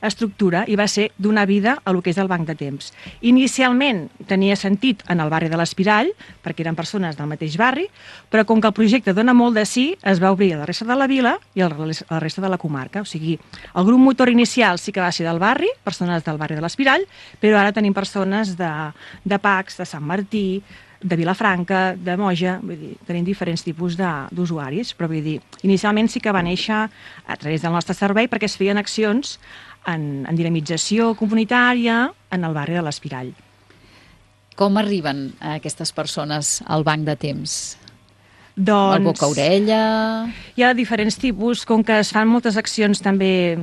S11: estructura i va ser donar vida a lo que és el Banc de Temps. Inicialment tenia sentit en el barri de l'Espirall, perquè eren persones del mateix barri, però com que el projecte dona molt de sí, es va obrir a la resta de la vila i a la resta de la comarca. O sigui, el grup motor inicial sí que va ser del barri, persones del barri de l'Espirall, però ara tenim persones de, de Pacs, de Sant Martí, de Vilafranca, de Moja, vull dir, tenim diferents tipus d'usuaris, però vull dir, inicialment sí que va néixer a través del nostre servei perquè es feien accions en, en dinamització comunitària en el barri de l'Espirall.
S1: Com arriben aquestes persones al Banc de Temps?
S11: Doncs...
S1: El boca-orella...
S11: Hi ha diferents tipus, com que es fan moltes accions també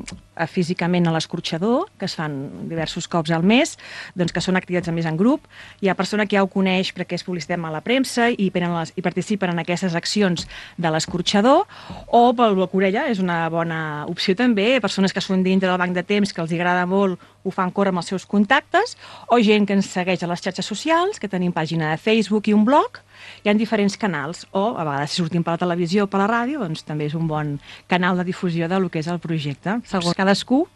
S11: físicament a l'escorxador, que es fan diversos cops al mes, doncs que són activitats més en grup. Hi ha persona que ja ho coneix perquè és publicitat a la premsa i, les, i participen en aquestes accions de l'escorxador, o pel boca-orella és una bona opció també, persones que són dintre del Banc de Temps, que els agrada molt, ho fan córrer amb els seus contactes, o gent que ens segueix a les xarxes socials, que tenim pàgina de Facebook i un blog. Hi ha diferents canals, o a vegades si sortim per la televisió o per la ràdio, doncs també és un bon canal de difusió del que és el projecte. Segons cadascú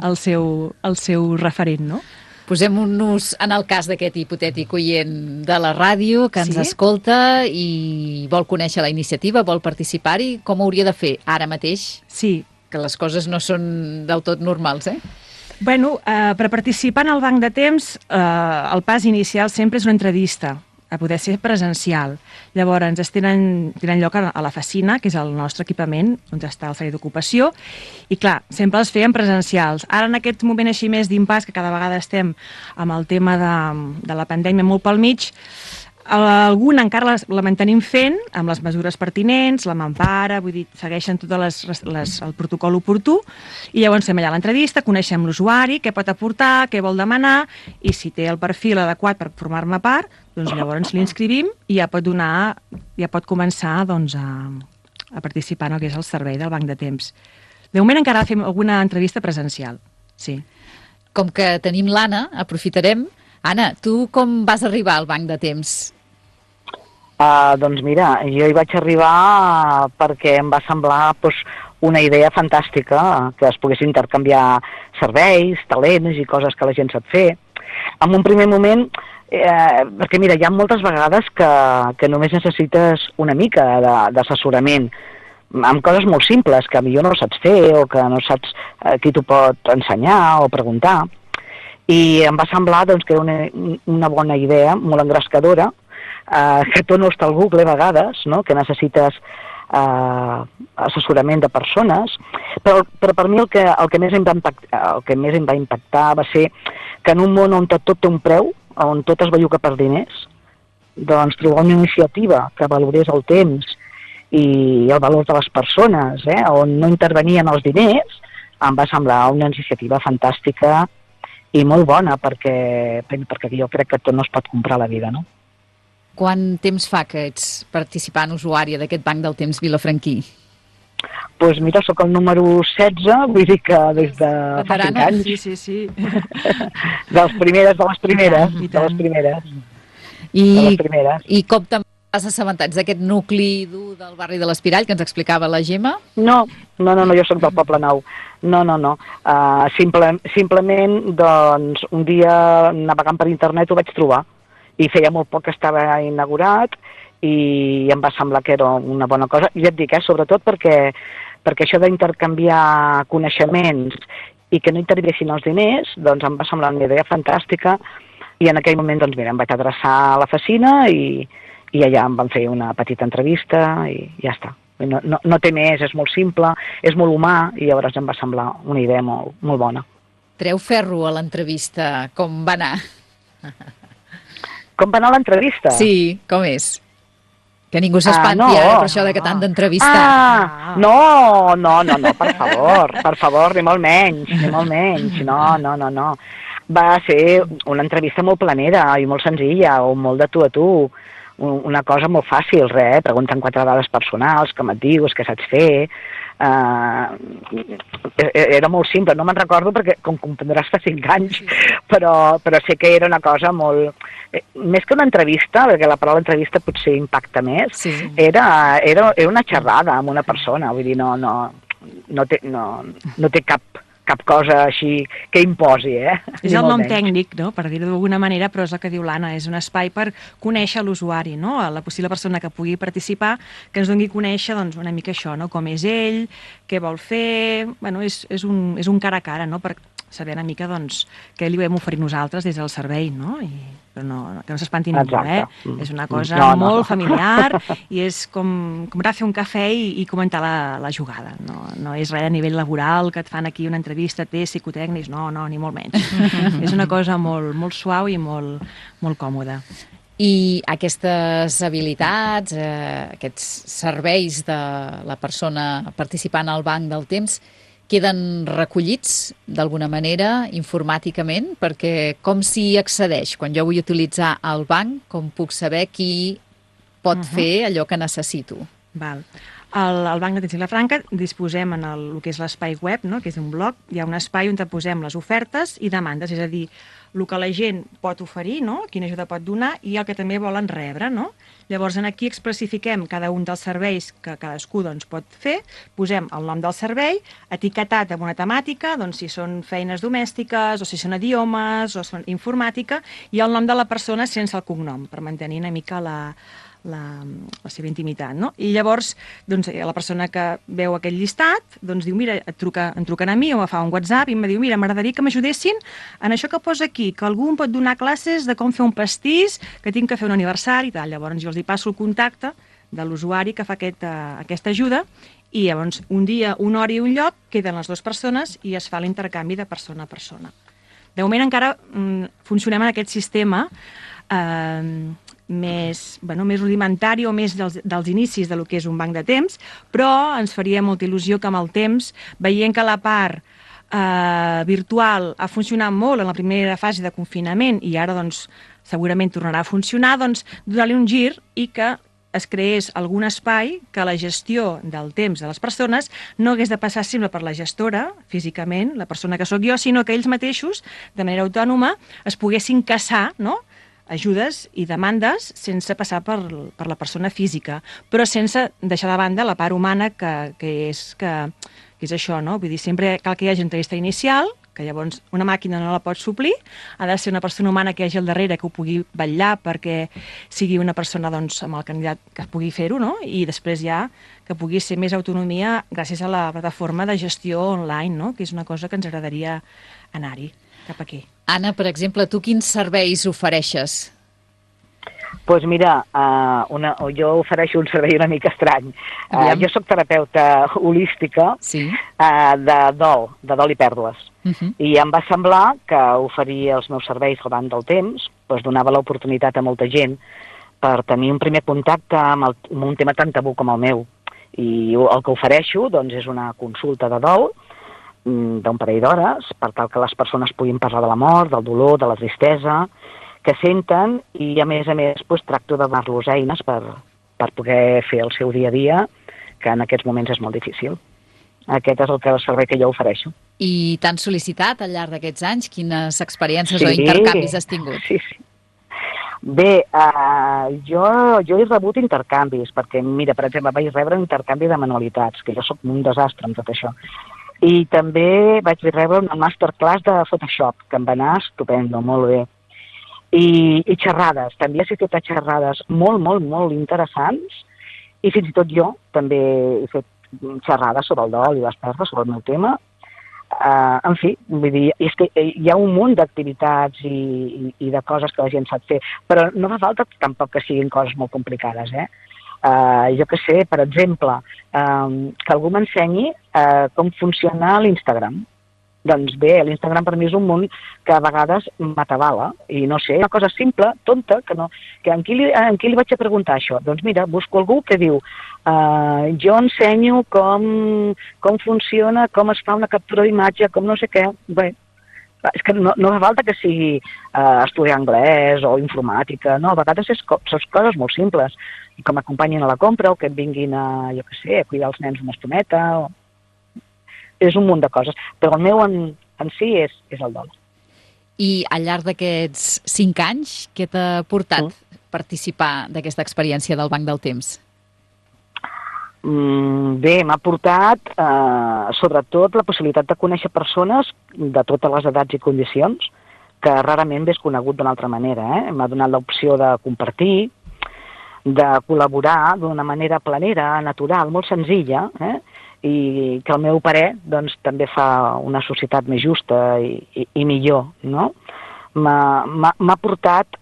S11: el seu, el seu referent, no?
S1: Posem-nos en el cas d'aquest hipotètic oient de la ràdio que ens
S11: Sí?
S1: escolta i vol conèixer la iniciativa, vol participar-hi, com ho hauria de fer ara mateix?
S11: Sí.
S1: Que les coses no són del tot normals, eh?
S11: Bueno, eh, per participar en el Banc de Temps, eh, el pas inicial sempre és una entrevista, a poder ser presencial. Llavors, es tenen, tenen lloc a la Facina, que és el nostre equipament, on està el servei d'ocupació, i clar, sempre els feien presencials. Ara, en aquest moment així més d'impàs, que cada vegada estem amb el tema de, de la pandèmia molt pel mig, alguna encara la, la mantenim fent amb les mesures pertinents, la mampara, vull dir, segueixen tot les, les, el protocol oportú, i llavors fem allà l'entrevista, coneixem l'usuari, què pot aportar, què vol demanar, i si té el perfil adequat per formar-ne part, doncs llavors l'inscrivim i ja pot donar, ja pot començar doncs, a, a participar en el que és el servei del Banc de Temps. De moment encara fem alguna entrevista presencial, sí.
S1: Com que tenim l'Anna, aprofitarem. Anna, tu com vas arribar al Banc de Temps?
S12: Uh, doncs mira, jo hi vaig arribar perquè em va semblar doncs, una idea fantàstica, que es pogués intercanviar serveis, talents i coses que la gent sap fer. En un primer moment, eh, perquè mira, hi ha moltes vegades que, que només necessites una mica d'assessorament amb coses molt simples que millor no saps fer o que no saps eh, qui t'ho pot ensenyar o preguntar. I em va semblar doncs, que era una, una bona idea, molt engrescadora, eh, que tot no està al Google a vegades, no? Que necessites eh, assessorament de persones, però, però per mi el que, el, que més em va impactar, el que més em va impactar va ser que en un món on tot té un preu, on tot es belluga per diners, doncs trobar una iniciativa que valorés el temps i el valor de les persones, eh, on no intervenien els diners, em va semblar una iniciativa fantàstica i molt bona, perquè, perquè jo crec que tot no es pot comprar a la vida, no?
S1: Quant temps fa que ets participant usuària d'aquest Banc del Temps vilafranquí?
S12: Doncs pues mira, sóc el número setze, vull dir que des de fa cinc anys.
S11: Sí, sí, sí.
S12: De les primeres, de les primeres, de les primeres.
S1: I,
S12: de les primeres.
S1: I com te'n vas assabentar d'aquest nucli dur del barri de l'Espirall que ens explicava la Gemma?
S12: No, no, no, no jo sóc del Poble Nou. No, no, no. Uh, simple, simplement, doncs, un dia navegant per internet ho vaig trobar i feia molt poc que estava inaugurat i em va semblar que era una bona cosa. I ja et dic, eh, sobretot perquè, perquè això d'intercanviar coneixements i que no intervinguessin els diners, doncs em va semblar una idea fantàstica i en aquell moment, doncs mira, em vaig adreçar a la Facina i, i allà em van fer una petita entrevista i ja està. No, no, no té més, és molt simple, és molt humà i llavors em va semblar una idea molt, molt bona.
S1: Treu ferro a l'entrevista, com va anar?
S12: Com va anar l'entrevista?
S1: Sí, com és? Que ningú s'espanti
S12: Ah, no.
S1: ara per això de que t'han d'entrevistar.
S12: Ah, no, no, no, no, per favor, per favor, ni molt menys, ni molt menys, no, no, no, no. Va ser una entrevista molt planera i molt senzilla, o molt de tu a tu, una cosa molt fàcil, res, pregunten quatre dades personals, com et dius, què saps fer... Uh, era molt simple, no me'n recordo perquè, com comprendràs, fa cinc anys, però, però sé que era una cosa molt... Més que una entrevista, perquè la paraula entrevista potser impacta més, sí. era, era, era una xerrada amb una persona, vull dir, no, no, no, té, no, no té cap, cap cosa així que imposi, eh?
S11: És el nom tècnic, no?, per dir-ho d'alguna manera, però és el que diu l'Anna, és un espai per conèixer l'usuari, no?, la possible persona que pugui participar, que ens doni a conèixer, doncs, una mica això, no?, com és ell, què vol fer... Bueno, és, és, un, és un cara a cara, no?, per saber una mica, doncs, què li vam oferir nosaltres des del servei, no?, i... però no, que no s'espanti ningú, eh? És una cosa no, no, molt no. familiar i és com, com anar a fer un cafè i, i comentar la, la jugada. No, no és res a nivell laboral, que et fan aquí una entrevista, té psicotècnics, no, no, ni molt menys. És una cosa molt, molt suau i molt, molt còmoda.
S1: I aquestes habilitats, eh, aquests serveis de la persona participant al banc del temps, queden recollits d'alguna manera informàticament? Perquè com s'hi accedeix? Quan jo vull utilitzar el banc, com puc saber qui pot uh-huh. fer allò que necessito?
S11: Val. Al, al Banc d'Atenció Vilafranca disposem en el, el que és l'espai web, no?, que és un blog, hi ha un espai on posem les ofertes i demandes, és a dir, el que la gent pot oferir, no?, quina ajuda pot donar i el que també volen rebre, no? Llavors, aquí especifiquem cada un dels serveis que cadascú doncs, pot fer, posem el nom del servei, etiquetat amb una temàtica, doncs, si són feines domèstiques, o si són idiomes, o són informàtica, i el nom de la persona sense el cognom, per mantenir una mica la, la, la seva intimitat, no? I llavors, doncs, la persona que veu aquell llistat, doncs diu, mira, et truca, em truquen a mi o em fa un WhatsApp i em diu, mira, m'agradaria que m'ajudessin en això que posa aquí, que algú em pot donar classes de com fer un pastís, que tinc que fer un aniversari i tal. Llavors jo els hi passo el contacte de l'usuari que fa aquest, uh, aquesta ajuda i llavors un dia, una hora i un lloc queden les dues persones i es fa l'intercanvi de persona a persona. De moment encara mm, funcionem en aquest sistema eh, més, bueno, més rudimentari o més dels, dels inicis de lo que és un banc de temps, però ens faria molta il·lusió que amb el temps, veient que la part eh, virtual ha funcionat molt en la primera fase de confinament i ara doncs, segurament tornarà a funcionar, doncs donar-li un gir i que es creés algun espai que la gestió del temps de les persones no hagués de passar sempre per la gestora, físicament, la persona que sóc jo, sinó que ells mateixos, de manera autònoma, es poguessin caçar, no?, ajudes i demandes sense passar per, per la persona física, però sense deixar de banda la part humana que, que, és, que, que és això, no? Vull dir, sempre cal que hi hagi entrevista inicial, que llavors una màquina no la pot suplir, ha de ser una persona humana que hi hagi al darrere que ho pugui vetllar perquè sigui una persona doncs, amb el candidat que pugui fer-ho, no? I després ja que pugui ser més autonomia gràcies a la plataforma de gestió online, no? Que és una cosa que ens agradaria anar-hi cap aquí.
S1: Anna, per exemple, tu quins serveis ofereixes?
S12: Doncs pues mira, uh, una, jo ofereixo un servei una mica estrany. Uh, jo soc terapeuta holística sí. uh, de dol, de dol i pèrdues. Uh-huh. I em va semblar que oferir els meus serveis al banc del temps doncs donava l'oportunitat a molta gent per tenir un primer contacte amb, el, amb un tema tan tabú com el meu. I el que ofereixo doncs, és una consulta de dol d'un parell d'hores per tal que les persones puguin parlar de la mort, del dolor, de la tristesa que senten i a més a més doncs, tracto de donar-los eines per, per poder fer el seu dia a dia, que en aquests moments és molt difícil. Aquest és el, que, el servei que jo ofereixo.
S1: I t'han sol·licitat al llarg d'aquests anys? Quines experiències sí, o intercanvis has tingut?
S12: Sí, sí. Bé, uh, jo, jo he rebut intercanvis, perquè, mira, per exemple, vaig rebre un intercanvi de manualitats, que jo sóc un desastre amb tot això. I també vaig rebre una masterclass de Photoshop, que em va anar estupendo, molt bé. I, i xerrades, també he fet xerrades molt, molt, molt interessants, i fins i tot jo també he fet xerrades sobre el dol i les pèrdues, sobre el meu tema. Uh, en fi, vull dir, és que hi ha un munt d'activitats i, i, i de coses que la gent sap fer, però no fa falta tampoc que siguin coses molt complicades, eh? Uh, jo que sé, per exemple, um, que algú m'ensenyi uh, com funciona l'Instagram. Doncs bé, l'Instagram per mi és un món que a vegades m'atabala, i no sé, una cosa simple, tonta, que no... Que en, qui li, en qui li vaig a preguntar això? Doncs mira, busco algú que diu uh, jo ensenyo com, com funciona, com es fa una captura d'imatge, com no sé què. Bé, és que no, no fa falta que sigui uh, estudiar anglès o informàtica, no, a vegades és, són coses molt simples, com acompanyin a la compra o que et vinguin a, jo què sé, a cuidar els nens una estoneta, o... és un munt de coses, però el meu en, en si és, és el dol.
S1: I al llarg d'aquests cinc anys, què t'ha portat mm. participar d'aquesta experiència del Banc del Temps?
S12: Mm, bé, m'ha portat eh, sobretot la possibilitat de conèixer persones de totes les edats i condicions, que rarament ves conegut d'una altra manera. Eh? M'ha donat l'opció de compartir, de col·laborar d'una manera planera, natural, molt senzilla, eh? I que al meu parer doncs, també fa una societat més justa i, i, i millor, no? M'ha portat,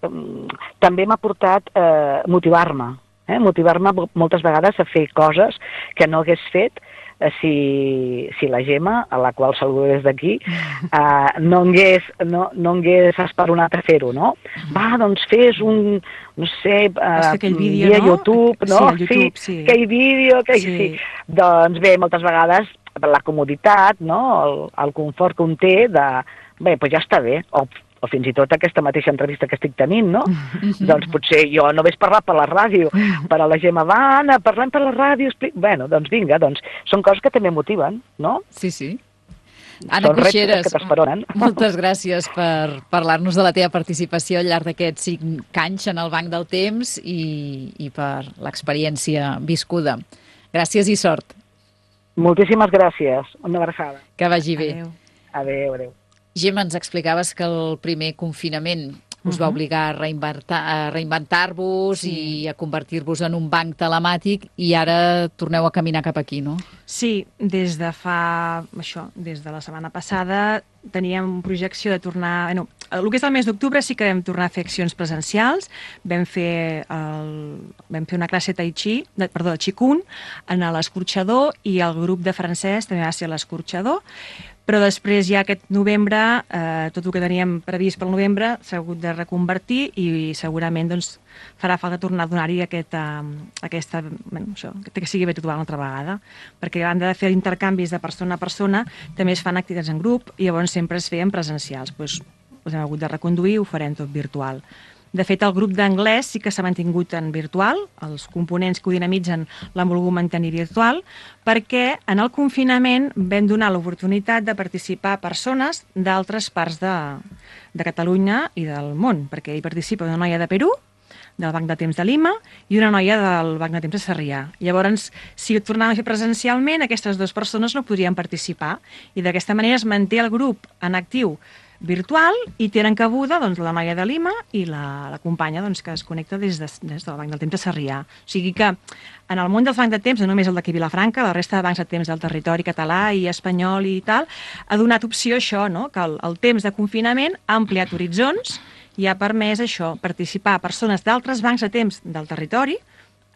S12: també m'ha portat eh, motivar-me, eh? motivar-me moltes vegades a fer coses que no hagués fet eh, si, si la Gemma, a la qual saludo des d'aquí, eh, no hagués, no, no hagués esperonat a fer-ho, no? Va, doncs fes un, no sé, uh,
S11: vídeo,
S12: via
S11: no?
S12: YouTube, no?
S11: Sí, YouTube, sí.
S12: sí. Aquell vídeo, aquell, sí. sí. Doncs bé, moltes vegades la comoditat, no? el, el confort que un té de, bé, doncs ja està bé, o, o fins i tot aquesta mateixa entrevista que estic tenint, no? Doncs potser jo no ves parlar per la ràdio, però la Gemma va, Anna, parlem per la ràdio, explica... Bueno, doncs vinga, doncs són coses que també motiven, no?
S1: Sí, sí. Anna Coixeres, moltes gràcies per parlar-nos de la teva participació al llarg d'aquests cinc anys en el Banc del Temps i, i per l'experiència viscuda. Gràcies i sort.
S12: Moltíssimes gràcies. Una abraçada.
S1: Que vagi bé.
S11: Adéu.
S12: Adéu, adéu.
S1: Gemma, ens explicaves que el primer confinament us va obligar a reinventar, a reinventar-vos sí. i a convertir-vos en un banc telemàtic i ara torneu a caminar cap aquí, no?
S11: Sí, des de fa... això, des de la setmana passada teníem projecció de tornar... Bueno, el que és el mes d'octubre sí que vam tornar a fer accions presencials, vam fer, el, vam fer una classe tai chi, de, perdó, de Qigong, en l'escorxador i el grup de francès també va ser a l'escorxador, però després ja aquest novembre, eh, tot el que teníem previst pel novembre s'ha hagut de reconvertir i segurament doncs, farà falta tornar a donar-hi aquest, eh, aquesta, bueno, això, que sigui virtual una altra vegada, perquè a banda de fer intercanvis de persona a persona, també es fan activitats en grup i llavors sempre es feien presencials. Doncs els hem hagut de reconduir i ho farem tot virtual. De fet, el grup d'anglès sí que s'ha mantingut en virtual, els components que ho dinamitzen l'han volgut mantenir virtual, perquè en el confinament vam donar l'oportunitat de participar persones d'altres parts de, de Catalunya i del món, perquè hi participa una noia de Perú, del Banc de Temps de Lima, i una noia del Banc de Temps de Sarrià. Llavors, si ho tornàvem a fer presencialment, aquestes dues persones no podrien participar, i d'aquesta manera es manté el grup en actiu virtual i tenen cabuda doncs, la noia de Lima i la, la companya doncs, que es connecta des, de, des del Banc del Temps de Sarrià. O sigui que en el món dels bancs de temps, no només el d'aquí Vilafranca, la resta de bancs de temps del territori català i espanyol i tal, ha donat opció a això, no? Que el, el temps de confinament ha ampliat horitzons i ha permès això, participar a persones d'altres bancs de temps del territori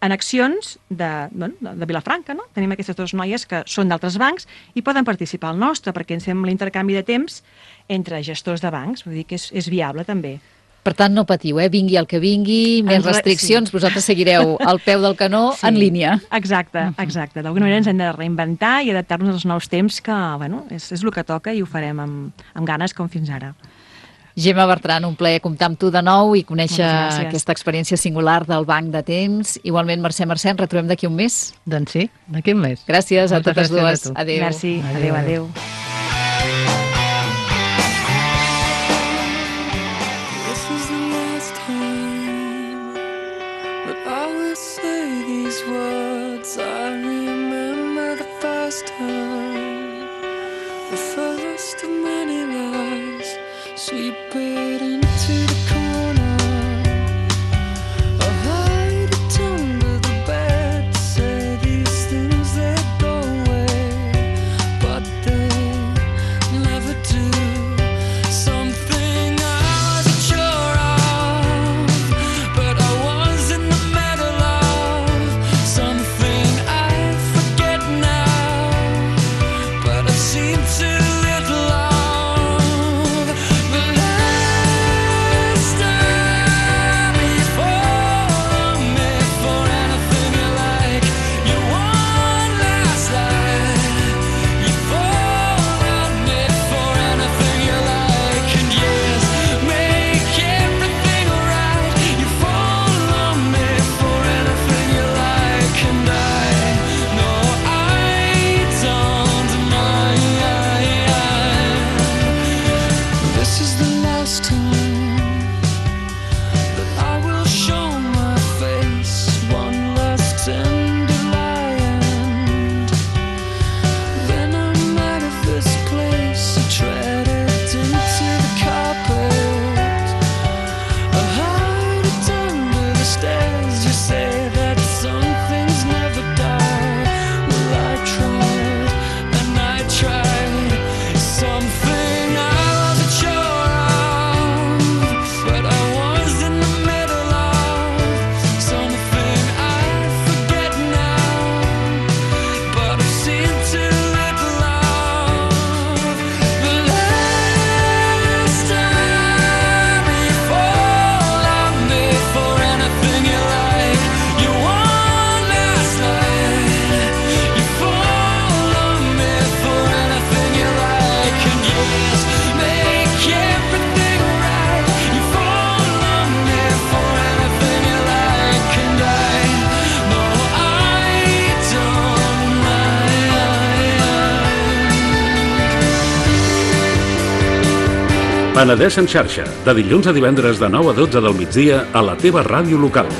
S11: en accions de, bueno, de Vilafranca, no? Tenim aquestes dues noies que són d'altres bancs i poden participar al nostre, perquè ens fem l'intercanvi de temps entre gestors de bancs, vull dir que és, és viable també.
S1: Per tant, no patiu, eh? Vingui el que vingui, més restriccions, sí. Vosaltres seguireu al peu del canó sí. en línia.
S11: Exacte, exacte. D'alguna manera ens hem de reinventar i adaptar-nos als nous temps que, bueno, és, és el que toca i ho farem amb, amb ganes com fins ara.
S1: Gemma Bertran, un plaer comptar amb tu de nou i conèixer aquesta experiència singular del Banc de Temps. Igualment, Mercè Mercè, ens retrobem d'aquí un mes?
S10: Doncs sí, d'aquí un mes.
S1: Gràcies a totes dues. Adéu.
S11: Merci, adéu, adéu.
S13: Seem too little Penedès en xarxa, de dilluns a divendres de nou a dotze del migdia a la teva ràdio local.